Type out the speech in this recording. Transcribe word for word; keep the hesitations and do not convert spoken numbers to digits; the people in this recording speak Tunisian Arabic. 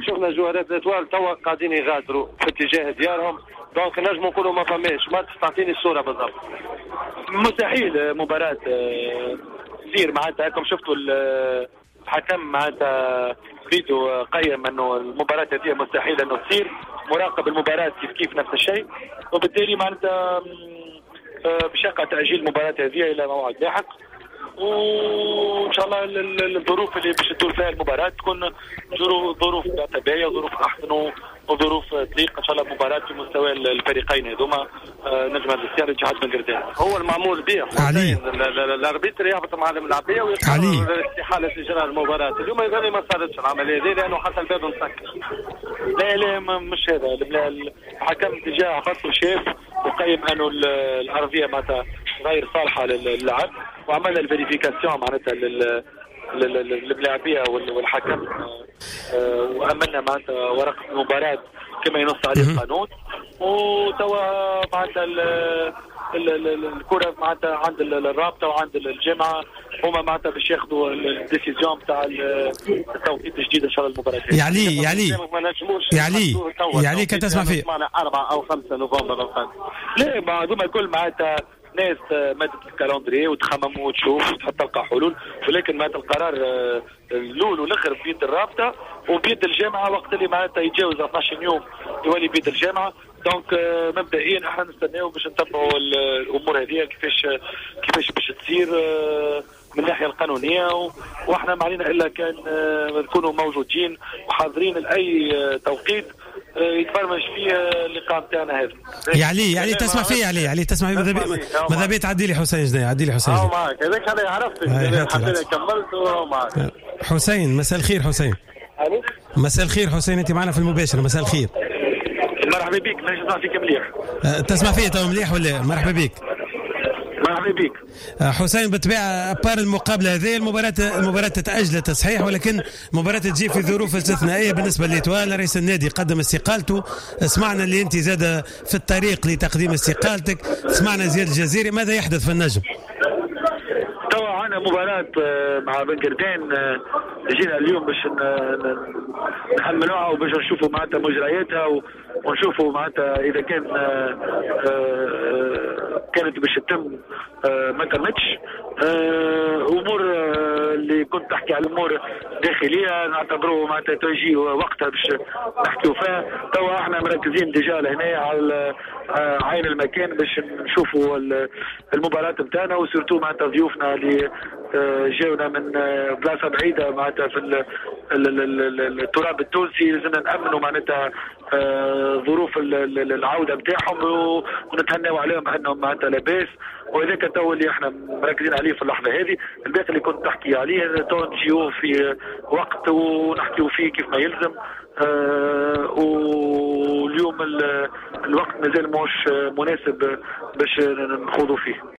شفنا جوارات l'Étoile توا قاعدين يغادروا في اتجاه ديارهم، donc نجموا نقولوا ما فماش ماتش. تعطيني الصورة بالضبط. مستحيل مباراة تصير معناتها، هاكم شفتوا الحكم معناتها فيديو قيم انه المباراة هذه مستحيل انه تصير، مراقب المباراة كيف كيف نفس الشيء، وبالتالي معناتها باش يقع تأجيل المباراة هذه الى موعد لاحق، وان شاء الله الظروف اللي باش تدور فيها المباراة تكون ظروف باهيه وظروف احسن وظروف تليق ان شاء الله المباراة في مستوى الفريقين هذوما، نجم السيارة اتحاد بن قردان. هو المعمول به علي ال arbitre يهبط مع الملاعبيه ويقرر استحالة اجراء المباراة. اليوم يظهر ما صارتش العملية هذه لانه حتى الباب مسكر. لا لا مش هذا، الحكم déjà هبط وشاف وقيم انه الارضية معناتها غير صالحه للعب، وعملنا ال vérification معناتها للملاعبيه والحكم، وامنا معناتها ورقة المباراة كما ينص عليه القانون، وتوا معناتها الكره معناتها عند الرابطة وعند الجامعة، هما معناتها باش ياخذوا ال décision نتاع التوقيت الجديد ان شاء الله المباراة. يا علي يا علي يا علي يا علي كان تسمع فيه معنا أربعة أو خمسة نوفمبر القادم. لا ما هذوما الكل معناتها ناس مادت ال calendrier وتخمم وتشوف وتحط تلقى حلول، ولكن معناتها القرار الاول والاخر بيد الرابطة وبيد الجامعة، وقت اللي معناتها يتجاوز اثناش يوم يولي بيد الجامعة. donc مبدئيا احنا نستناو باش نتبعوا الامور هذه كيفاش كيفاش باش تصير من الناحية القانونية، واحنا ما علينا الا كان نكونوا موجودين وحاضرين لاي توقيت يتبرمج فيه اللقاء نتاعنا هذا. يا علي يا علي تسمع فيه يا علي، علي تسمع فيه، ماذا بيا تعدي لي حسين جناي، عدي لي حسين. اه معاك هذاك انا عرفت حتى كملت ومعاك. حسين مساء الخير. حسين مساء الخير. حسين انت معنا في المباشر، مساء الخير. مرحبا بك، مانيش نسمع فيك مليح. تسمع فيا تو مليح ولا؟ مرحبا بك. مرحبا بك حسين. بالطبيعة à part المقابلة هذه المباراة المباراة تاجلت صحيح، ولكن المباراة تجي في ظروف استثنائية بالنسبة ل l'Étoile. رئيس النادي قدم استقالته، سمعنا اللي انت زاد في الطريق لتقديم استقالتك، سمعنا زياد الجزيري، ماذا يحدث في النجم؟ توا عندنا مباراة مع بن قردان، جينا اليوم باش نحملوها وباش نشوفوا معناتها مجرياتها ونشوفوا معناتها اذا كان كانت باش تتم ما تمتش. امور اللي كنت تحكي على الامور الداخلية نعتبروه معناتها تجي وقتها باش نحكيو فيها. توا احنا مركزين déjà لهنا على عين المكان باش نشوفوا المباراة نتاعنا، و surtout معناتها ضيوفنا اللي جاونا من بلاصة بعيدة معناتها في التراب التونسي، لازمنا نامنوا معناتها ظروف العودة نتاعهم ونتهناو عليهم انهم معناتها لاباس، وهذاك تو اللي احنا مركزين عليه في اللحظة هذه. الباقي اللي كنت تحكي عليه تو نجيو في وقت ونحكيو فيه كيف ما يلزم، آه واليوم الوقت مازال مش مناسب باش نخوضوا فيه.